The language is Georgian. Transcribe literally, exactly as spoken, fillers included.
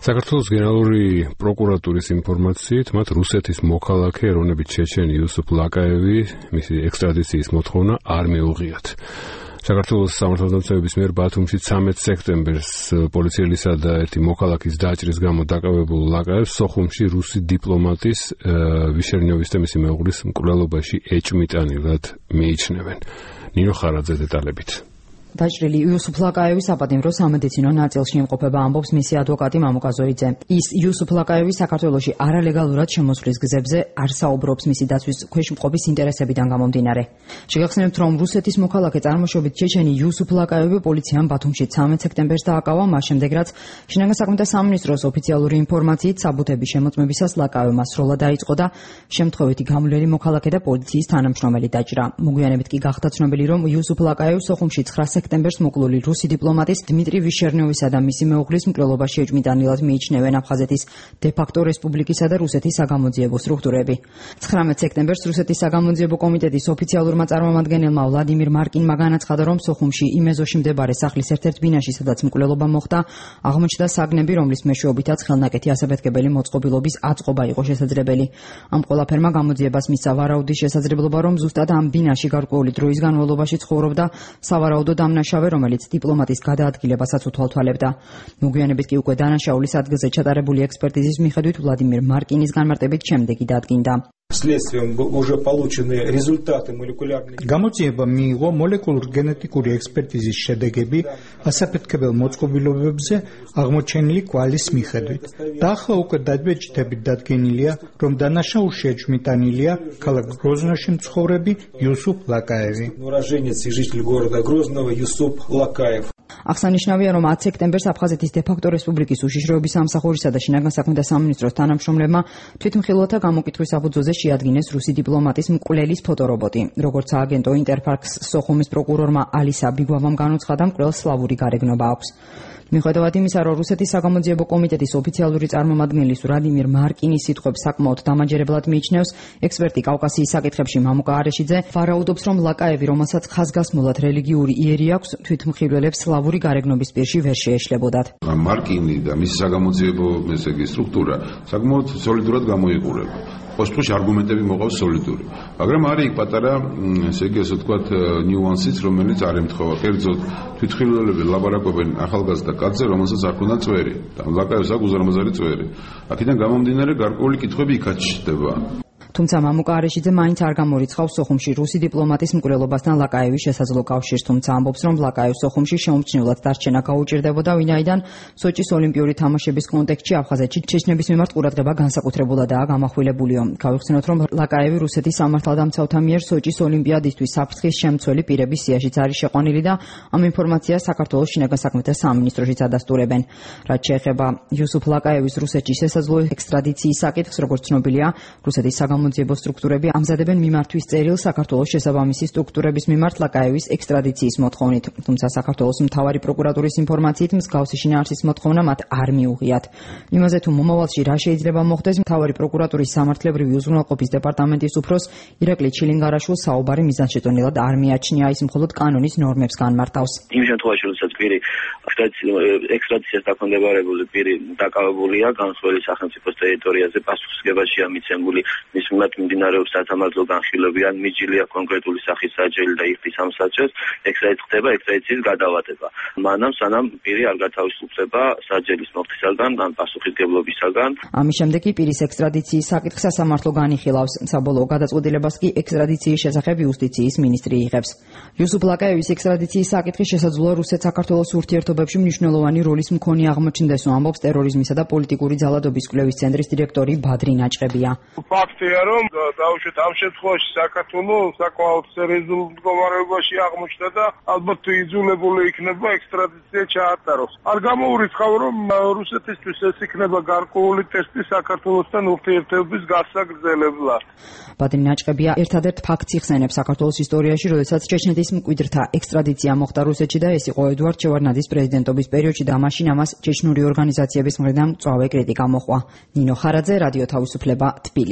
საქართველოს გენერალური პროკურატურის ინფორმაციით, მათ რუსეთის მოქალაქე ეროვნებით ჩეჩენი იუსუფ ლაკაევი მისი ექსტრადიციის მოთხოვნა არ მიუღიათ. საქართველოს სამართალდამცავების მიერ ბათუმში ცამეტ სექტემბერს პოლიციელისა და ერთი მოქალაქის დაჭრის გამო დაკავებულ ლაკაევს სოხუმში რუსი დიპლომატის ვიშერნიოვის და მისი მეუღლის მკვლელობაში ეჭვმიტანილად მიიჩნევენ. ნინო ხარაძე დეტალებით. დაჭრილი იუსუფ ლაკაევი საპატიმრო სამედიცინო ნაწილში იმყოფება, ამბობს მისი ადვოკატი მამუკა ზოიძე. ის იუსუფ ლაკაევი საქართველოში არალეგალურად შემოსვლის გზებზე არ საუბრობს მისი დაცვის ქვეშ მყოფის ინტერესებიდან გამომდინარე. შეგახსენებთ, რომ რუსეთის მოქალაქე წარმოშობით ჩეჩენი იუსუფ ლაკაევი პოლიციამ ბათუმში ცამეტ სექტემბერს დააკავა, მას შემდეგ რაც შინაგან საქმეთა სამინისტროს ოფიციალური ინფორმაციით საბუთების შემოწმებისას ლაკაევმა სროლა დაიწყო და შემთხვევითი გამოვლელი მოქალაქე და პოლიციის თანამშრომელი დაჭრა. მოგვიანებით კი გახდა ცნობილი, რომ იუსუფ ლაკაევს სოხუმში ცხრა სექტემბერს მოკლული რუსი დიპლომატის დიმიტრი ვიშერნიოვისა და მისი მეუღლის მკვლელობაში ეჭვმიტანილად მიიჩნევენ აფხაზეთის დე-ფაქტო რესპუბლიკისა და რუსეთის საგამოძიებო სტრუქტურები. ცხრამეტ სექტემბერს რუსეთის საგამოძიებო კომიტეტის ოფიციალურმა წარმომადგენელმა ვლადიმირ მარკინმა განაცხადა, რომ სოხუმში იმ ეზოში მდებარე სახლის ერთ-ერთ ბინაში, სადაც მკვლელობა მოხდა, აღმოჩნდა საგნები, რომლის მეშვეობითაც ხელნაკეთი ასაფეთქებელი მოწყობილობის აწყობა იყო შესაძლებელი. ამ ყველაფერმა გამოძიებას მისცა ვარაუდის შესაძლებლობა, რომ ზუსტად ამ ბინაში გარკვეული დროის განმავლობაში ცხოვრობდა სავარაუდო დამნაშავე, რომელიც დიპლომატის გადაადგილებასაც უთვალთვალებდა. მოგვიანებით კი უკვე დანაშაულის ადგილზე ჩატარებული ექსპერტიზის მიხედვით ვლადიმირ მარკინის განმარტებით შემდეგი დადგინდა. გამოძიება მიიღო მოლეკულურ-გენეტიკური ექსპერტიზის შედეგები ასაფეთქებელ მოწყობილობებზე აღმოჩენილი კვალის მიხედვით. და ახლა უკვე დაბეჭდებით დადგენილია, რომ დანაშაულში ეჭვმიტანილია ქალაქ გროზნოში მცხოვრები იუსუფ ლაკაევი. აღსანიშნავია, რომ ათი სექტემბერს აფხაზეთის დე-ფაქტო რესპუბლიკის უშიშროების სამსახურისა და შინაგან საქმეთა სამინისტროს თანამშრომლებმა თვითმხილველთა გამოკითხვის საფუძველზე შეადგინეს რუსი დიპლომატის მკვლელის ფოტორობოტი. როგორც ააგენტო ინტერფაქს სოხუმის პროკურორმა ალისა ბიგვავამ განუცხადა, მკვლელს სლავური გარეგნობა აქვს. მიუხედავად იმისა, რომ რუსეთის საგამოძიებო კომიტეტის ოფიციალური წარმომადგენლის ვლადიმირ მარკინის სიტყვებს საკმაოდ დამაჯერებლად მიიჩნევს, ექსპერტი კავკასიის საკითხებში მამუკა არეშიძე ვარაუდობს, რომ ლაკაევი, რომელსაც ხაზგასმულად რელიგიური იერი აქვს, თვითმხილველებს სლავური გარეგნობის პირში ვერ შეეშლებოდათ. მარკინი და მისი საგამოძიებო ესე იგი სტრუქტურა საკმაოდ სოლიდურად გამოიყურება. ოშტყუში არგუმენტები მოყავს სოლიდური. მაგრამ არის იქ პატარა, ესე იგი ასე ვთქვათ, ნიუანსიც, რომელიც არ ემთხვევა. კერძოდ, თვითმხილველები ლაბარაკობენ ახალგაზრდა კაცზე, რომელსაც არ ქონდა წვერი. და ლაკაევს აქვს უზარმაზარი წვერი. აქედან გამომდინარე გარკვეული კითხვები იქაც ჩნდება. თუმცა მამუკა არეშიძე მაინც არ გამორიცხავს სოხუმში რუსი დიპლომატის მკვლელობასთან ლაკაევის შესაძლო კავშირს, თუმცა ამბობს, რომ ლაკაევს სოხუმში შეუმჩნევლად დარჩენა გაუჭირდებოდა, ვინაიდან სოჭის ოლიმპიური თამაშების კონტექსტში აფხაზეთში ჩეჩნების მიმართ ყურადღება განსაკუთრებულადაა გამახვილებულიო. გავიხსენოთ, რომ ლაკაევი რუსეთის სამართალდამცავთა მიერ სოჭის ოლიმპიადისთვის საფრთხის შემცველი პირების სიაშიც არის შეყვანილი და ამ ინფორმაციას საქართველოს შინაგან საქმეთა სამინისტროშიც ადასტურებენ. რაც შეეხება იუსუფ ლაკაევის რუსეთში შესაძლო ექსტრადიციის საკითხს, როგორც ცნობილია, რუსეთის საგამოძიებო სტრუქტურები ამზადებენ მიმართვის წერილს საქართველოს შესაბამისი სტრუქტურების მიმართ ლაკაევის ექსტრადიციის მოთხოვნით. თუმცა საქართველოს მთავარი პროკურატურის ინფორმაციით მსგავსი შინაარსის მოთხოვნა მათ არ მიუღიათ. იმაზე თუ მომავალში რა შეიძლება მოხდეს, მთავარი პროკურატურის სამართლებრივი უზრუნველყოფის დეპარტამენტის უფროს ირაკლი ჩილინგარაშვილს საუბარი მიზანშეწონილად არ მიაჩნია, ის მხოლოდ კანონის ნორმებს განმარტავს. იმ შემთხვევაში, როდესაც პირი ექსტრადიციას დაქვემდებარებული პირი დაკავებულია განსხვავებული სახელმწიფოს ტერიტორიაზე, პასუხისმგებაშია მიცემული მის მიმართ მიმდინარეობს სასამართლო განხილვები ან მიჯილია კონკრეტული სახის საჯელი და იხდის ამ საჯელს, ექსტრადიცია ხდება ექსტრადიციის გადავადება. მანამ სანამ პირი არ გათავისუფლდება საჯელის მოხდისაგან ან პასუხისმგებლობისაგან. ამის შემდეგ კი პირის ექსტრადიციის საკითხს სასამართლო განიხილავს. საბოლოო გადაწყვეტილებას კი ექსტრადიციის შესახებ იუსტიციის მინისტრი იღებს. იუსუფ ლაკაევის ექსტრადიციის საკითხი შესაძლოა რუსეთ-საქართველოს ურთიერთობებში მნიშვნელოვანი როლის მქონე აღმოჩნდეს, ამბობს ტერორიზმისა და პოლიტიკური ძალადობის კვლევის ცენტრის დირექტორი ბადრი ნაჭყებია. ფაქტია, რომ დაუშვათ ამ შემთხვევაში საქართველოს საკმაოდ სერიოზულ მდგომარეობაში აღმოჩნდა და ალბათ იძულებული იქნება ექსტრადიცია ჩაატაროს. არ გამოურიცხავ, რომ რუსეთისთვის ეს იქნება გარკვეული ტესტი საქართველოსთან ურთიერთობის გასაგრძელებლად. ბადრი ნაჭყებია ერთადერთ ფაქტს იხსენებს საქართველოს ისტორიაში, როდესაც ჩეჩნეთის მკვიდრთა ექსტრადიცია მოხდა რუსეთში და ეს იყო ედუარდ შევარდნაძის პრეზიდენტობის პერიოდში და მაშინ ამას ჩეჩნური ორგანიზაციების მხრიდან მწვავე კრიტიკა მოჰყვა. ნინო ხარაძე, რადიო თავისუფლება, თბილისი.